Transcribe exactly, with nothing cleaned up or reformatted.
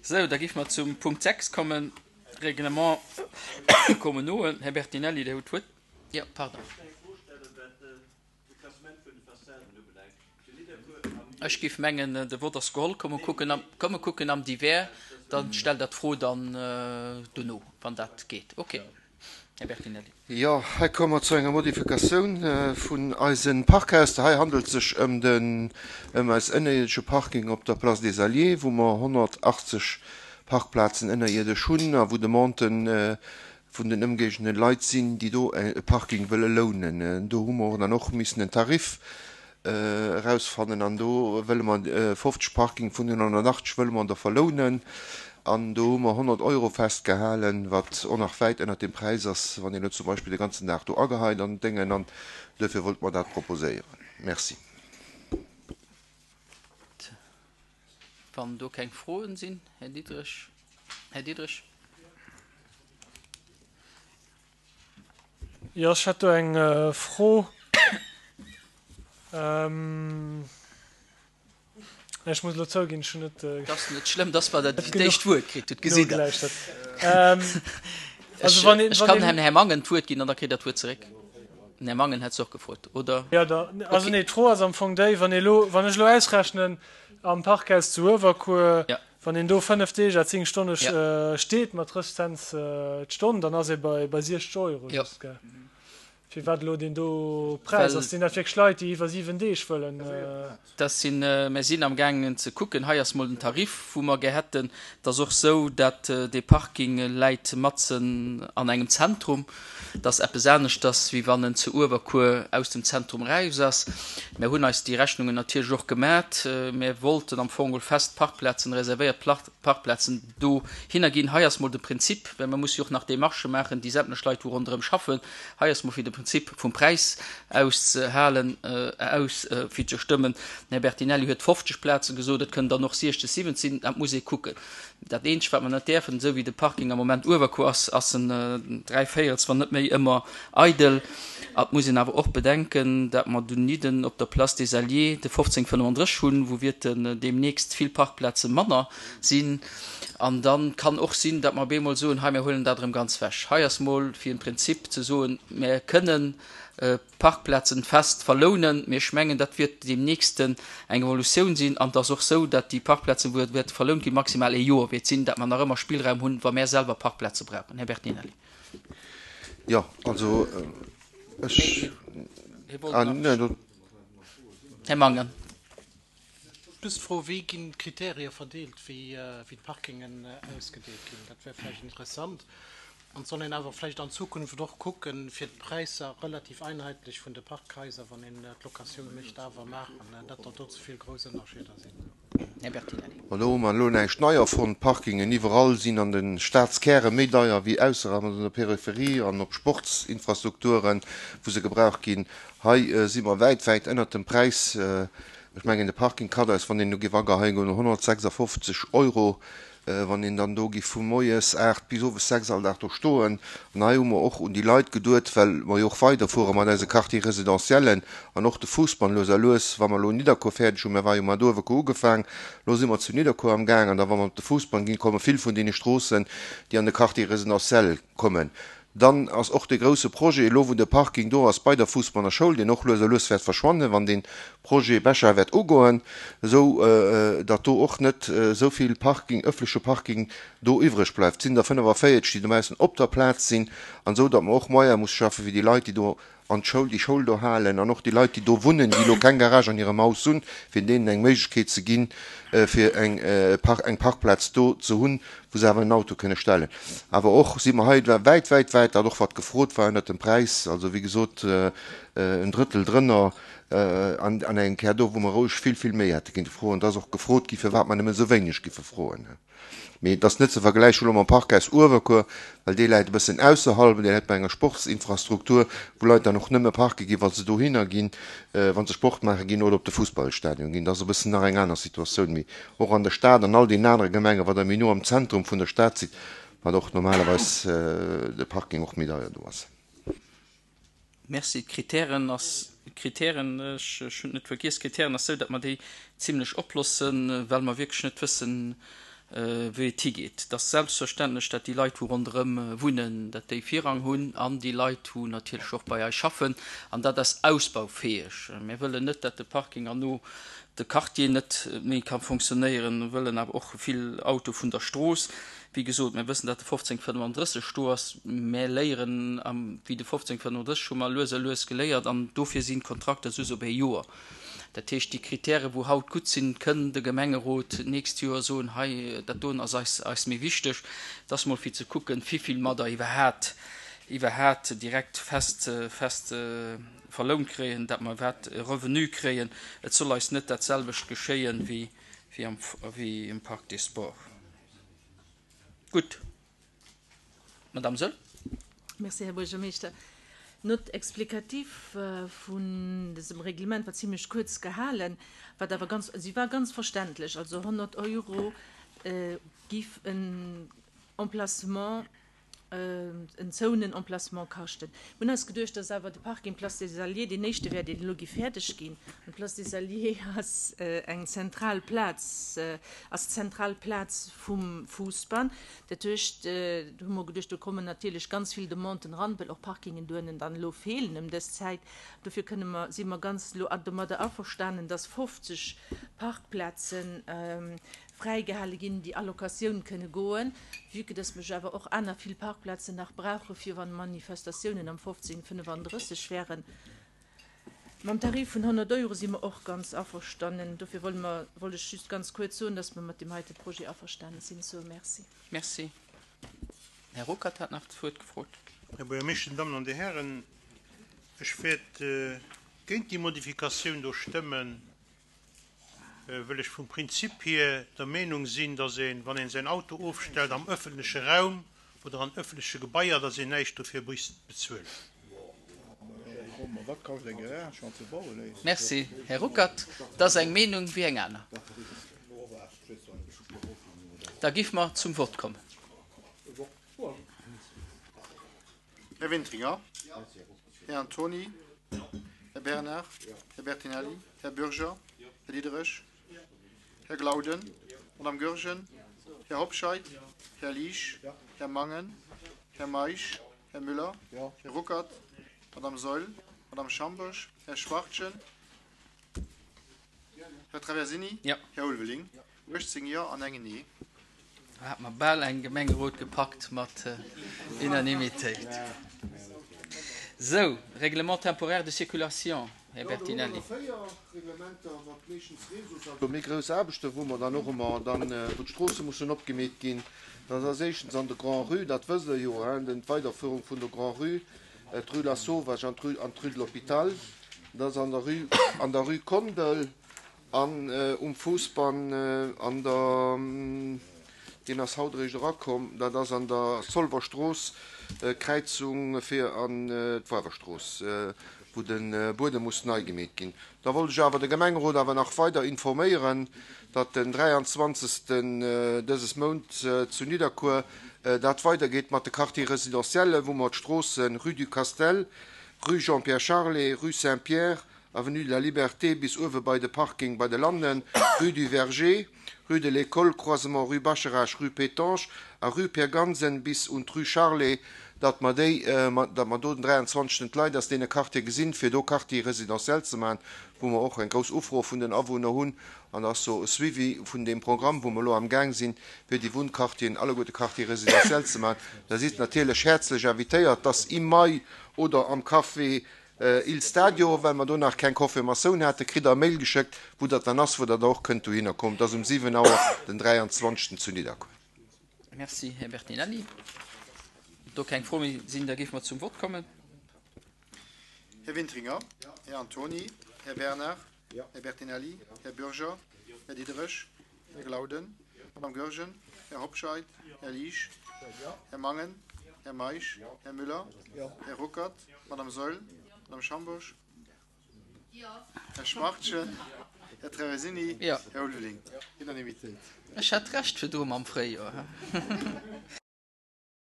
Sou, da géife mer zum Punkt sechs kommen, Règlement communaux. Här Bertinelli, Dir hutt d'Wuert. Jo, pardon. Ech géif mengen, de Vott ass geholl. Komm, mer kucken am, komm, mer kucken am Divers, dann stellt Der d'Fro dann dono, wann dat geet. Okay. Här Bertinelli. Jo, hei komme mer zu enger Modifikatioun vun eise Parkhaus. Hei handelt et sech ëm den, ëm eis ënnerierdesche Parking op der Place des Alliés, wou mer honnertachtzeg Parkplazen ënnerierdesch hunn a wou Demanden vun den ëmgéigende Leit sinn, déi do e Parking wëlle lounen. Do hu mer dann och missen en Tarif erausfannen an do wëlle mer fofzeg Parking vun den honnertachtzeg wëlle mer der verlounen an do hu mer honnert Euro festgehalen, wat och nach wäit ënnert dem Präis ass, wann een elo zum Beispill de ganzen Dag do ageheit an Déngen an duerfir wollte mer dat proposéieren. Merci. Wann do keng Froen sinn, Här Diderich. Här Diderich. Jo, ech hätt do eng Fro. Ech muss elo zouginn, ech hunn net. Et ass net schlëmm, dass mer dat d'éischt Wuert kritt hutt, gesitt Der. Ech kann dem Här Mangen d'Wuert ginn an da kritt Der d'Wuert zeréck. Den Här Mangen hätt se och gefrot, oder? Jo, da, also nee, d'Fro ass am Fong déi, wann ee elo, wann ech elo ausrechnen, am Parkhaus zu Uewerkuer, wann een do fënnef Deeg à zéng Stonne steet mat drësseg Cents d'Stonn, dann ass ee bei bei siechzeg Euro just, gell? Firwat elo deen do Präis? Ass sinn dat wierklech Leit, déi iwwer siwen Deeg wëllen? Dat sinn, mir sinn amgaangen ze kucken. Hei ass mol den Tarif, wou mer gär hätten. Et ass och esou, dat dee Parking läit matzen an engem Zentrum. Et ass eppes aneschters, wéi wann en zu Uewerkuer aus dem Zentrum eraus ass. Mir hunn eis déi Rechnungen natierlech och gemat. Mir wollten am Fong geholl fest Parkplazen, reservéiert Parkplazen dohinner ginn. Hei ass mol de Prinzip, well mer musse jo och nach Démarchë maachen, déi sämtlech Leit, wou ronderëm schaffen. Hei ass mol fir de Prinzip vum Präis auszehalen, aus, fir ze stëmmen. Den Här Bertinelli huet fofzeg Plaze gesot, et kënnen dann och siechzeg, siwwenzeg sinn, dat muss ee kucken. Dat eenzegt, wat mer net däerfen, esou wéi de Parking am Moment Uewerkuer ass, ass en dräi Véierels, wann net méi, ëmmer eidel. A et muss een awer och bedenken, dat mer dunidden op der Place des Alliés de fofzéng fënnefandrësseg hunn, wou wierten deemnächst vill Parkplaze manner sinn. An da kann och sinn, dat mer op eemol soen, hei, mir huelen dat erëm ganz wech. Hei ass mol fir en Prinzip ze soen, mer kënnen Parkplazen fest verlounen, mee ech mengen, dat wiert deemnächst eng Evolutioun sinn. An et ass och esou, dat déi Parkplazen, wou et wäerte verlount ginn, maximal ee Joer wäert sinn, dat mer nach ëmmer Spillraum hunn, wa mär selwer Parkplaze brauchen. Här Bertinelli. Jo, also ech. Här Mangen. Just d'Fro, Wéi ginn d'Kriterie verdeelt, wéi d'Parkingen ausgedeelt ginn? Dat wär vläicht interessant. An et soll een awer vläicht an Zukunft och kucken, fir d'Präisser relativ einheitlich vun de Parkhaiser, wann een d'Locatioun mécht, awer maachen, net datt do ze vill grouss Ënnerscheeder sinn. Här Bertinelli. Ma do hu mer elo näischt nei erfonnt. D'Parkingen iwwerall sinn an de Statskäre méi deier wéi ausserhalb an der Peripherie an op Sportsinfrastrukturen, wou se gebraucht ginn. Hei si mer wäit, wäit ënnert dem Präis. Ech mengen, de Parking kascht eis, wann een do géif ageheien goen, honnertsechsafofzeg Euro. Wann een dann do giff vu moies aacht bis owes sechs all Dag do stoen. An hei hu mer och un déi Leit geduet, well mer jo och weiderfuere mat eise Quartier résidentiellen an och de Fousbann lues a lues, wa mer elo Nidderkuer fäerdeg hunn, mir war jo mat Uewerkuer ugefaang, elo si mer zu Nidderkuer am Gaang, an da wa mer op de Fousbann ginn, komme vill vun deene Stroossen, déi an de Quartier résidentiel kommen. Dann ass och dee grouse Projet elo, wou de Parking do ass bei der Fuussbanner Schoul, deen och lues a lues wäert verschwannen, wann dee Projet Becher wäert ugoen, esou datt do och net esou vill Parking, öffentleche Parking do iwwreg bleift. Et sinn der fënnefavéierzeg, déi dobaussen op der Plaz sinn, an esou datt mer och Moyene musse schaffen, fir déi Leit, déi do an d'Schoul, déi Schoul do halen, an och déi Leit, déi do wunnen, déi elo keng Garage an hirem Haus hunn, fir deenen eng Méiglechkeet ze ginn, fir eng eng Parkplaz do ze hunn, wou se awer en Auto kënne stellen. Awer och si mer hei wäit, wäit, wäit, dat och wat gefrot war, ënnert dem Präis, also wéi gesot en Drëttel drënner, an an engem Kär do, wou mer roueg vill, vill méi hätte kinnte froen. Et ass och gefrot gi firwat mer nëmmen esou wéineg giffe froen. Mee et ass net ze vergläichen elo mam Parkhaus Uewerkuer, well dee läit e bëssen ausserhalb, dee läit bei enger Sportsinfrastruktur, wou Leit dann och nëmme parke ginn, wa se dohinner ginn, wa se Sport maache ginn oder op de Fussballstadion ginn. Dat ass e bëssen nach eng aner Situatioun. Mee och an der Stad, an all deenen anere Gemengen, wa Der méi no am Zentrum vun der Stad sidd, wat och normalerweis de Parking och méi deier do ass. Merci. D'Kritären ass, d'Kritären, ech hunn et net vergiess, d'Kritären ass esou, datt mer déi zimlech oplossen, well mer wierklech net wëssen, wéi et higeet. Et ass selbstverständlech, dat déi Leit, wou ronderëm wunnen, dat déi Virrang hunn an déi Leit, wou natierlech och bei eis schaffen. An dat ass ausbaufäeg. Mir wëllen net, dat de Parking herno de Quartier net méi ka fonctionnéieren. Mir wëllen awer och vill Auto vun der Strooss. Wéi gesot, mir wëssen, dat de fofzéng fënnefandrësseg do ass. Mir léieren, wéi de fofzéng fënnefandrësseg hu mer lues a lues geléiert an dofir sinn d'Kontrakter just op ee Joer. Dat heescht, déi Kritäre wou haut gutt sinn, kënn de Gemengerot d'nächst Joer soen, hei, dat doen ass eis, eis méi wichteg. Et ass mol fir ze kucken, wivill mer der iwwerhat, iwwerhat direkt fest, fest verlount kréien, dat mer iwwerhat e Revenu kréien. Et soll eis net dat selwecht geschéien wéi, wéi am, wéi im Parc des Sports. Gutt. Madame Söll. Merci, Här Buergermeeschter. D'Note explicative vun dësem Reglement war zimlech kuerz gehalen, wat awer ganz, si war ganz verständlech. Also honnert Euro giff en Emplacement, en zouenen Emplacement kaschten. Mir hunn eis geduecht, dass awer de Parking Place des Alliés deen éischte wär, deen elo giff fäerdeg ginn. An d'Place des Alliés ass eng zentral Plaz, ass d'zentral Plaz vum Fousbann. Dat heescht, do hu mer geduecht, do kommen natierlech ganz vill Demanden eran, well och Parkingen dohennen dann elo feelen ëm dës Zäit. Dofir kënne mer, si mer ganz elo domadder averstanen, dass fofzeg Parkplazen fräigehale ginn, déi Allocatioun kënne goen, vue que dass mech awer och aner vill Parkplazen nach brauche fir wann Manifestatiounen am fofzéng fënnefandrësseg wären. Mam Tarif vun honnert Euro si mer och ganz averstanen. Dofir wolle mer, wollt ech just ganz kuerz soen, dass mer mat deem heite Projet averstane sinn. Sou, merci. Merci. Här Ruckert hat nach d'Wuert gefrot. Här Buergermeeschter, Dammen an Dir Hären, ech wäert géint déi Modifikatioun do stëmmen, wëll ech vum Prinzip hier der Meenung sinn, dass een, wann een säin Auto ofstellt am öffentleche Raum oder an öffentleche Gebaier, dass een näischt dofir misst bezuelen. Merci, Här Ruckert. Dat ass eng Meenung wéi eng aner. Da giff mer zum Vott kommen. Här Wintringer. Här Antoni. Här Bernard. Här Bertinelli. Här Bürger. Här Diderich. Här Glauden. Madame Goergen. Här Hobscheit. Här Liesch. Här Mangen. Här Meisch. Här Müller. Här Ruckert. Madame Saeul. Madame Schambosch. Här Schwachtgen. Här Traversini. Här Ulveling. uechtzéng Jo an engem Nee. Do hat mer bal eng Gemengerot gepackt mat Unanimitéit. Sou, Règlement temporaire de circulation, Här Bertinelli. Jo, do hu mer véier Reglementer, wat meeschtens Réseaux also méi grouss Aarbechten, wou mer dann och ëmmer dann, wou d'Stroosse mussen opgemeet ginn. Dat ass éischtens an der Grand-Rue, dat wësst Der jo, hein, den, d'Weiderführung vun der Grand-Rue, d'Rue Lasauvage an d'Rue, an d'Rue de l'Hôpital. Dat ass an der Rue, an der Rue Kondel. An um Fousbann an der, deen ass haut eréischt erakomm, dat ass an der Zolwer Strooss, Kräizung fir an d'Wawerstrooss, wou de Buedem muss nei gemeet ginn. Da wollt ech awer de Gemengerot awer nach weider informéieren, datt den dräianzwanzegsten dëses Mount zu Nidderkuer dat weidergeet mat de Quartiers résidentiels, wou mer d'Stroosse Rue du Castel, Rue Jean-Pierre Charlet, Rue Saint-Pierre, Avenue de la Liberté bis uewe bei de Parking bei de Lannen, Rue du Verger, Rue de l'École, Croisement Rue Bascharage, Rue Pétange a Rue Pierre Gansen bis un d'Rue Charlet, datt mer déi, datt mer do den dräianzwanzegsten d'Leit aus deene Quartiere gesinn, fir do Quartier résidentiel ze maachen, wou mer och eng grouss Ufro vun den Awunner hunn. An da ass so e Suivi vun deem Programm, wou mer elo amgaang sinn, fir déi Wunnquartieren alleguerte Quartier résidentiel ze maachen. Da sidd natierlech häerzlech invitéiert, dass im Mai oder am Café Il Stadio, well mer do nach keng Confirmatioun haten, kritt der e Mail geschéckt, wou dat dann ass, wou der da och kënnt dohinner kommen. Dat ass um siwen Auer den dräianzwanzegsten zu Nidderkuer. Merci, Här Bertinelli. Do keng Froe méi sinn, da géife mer zum Vott kommen. Här Wintringer. Här Antoni. Här Bernard. Här Bertinelli. Här Bürger. Här Diderich. Här Glauden. Madame Goergen. Här Hobscheit. Här Liesch. Här Mangen. Här Meisch. Här Müller. Här Ruckert. Madame Saeul. Madame Schambosch. Här Schwachtgen. Här Traversini. Här Ulveling. Unanimitéit. Ech hat Recht virdru mam Fréijoer.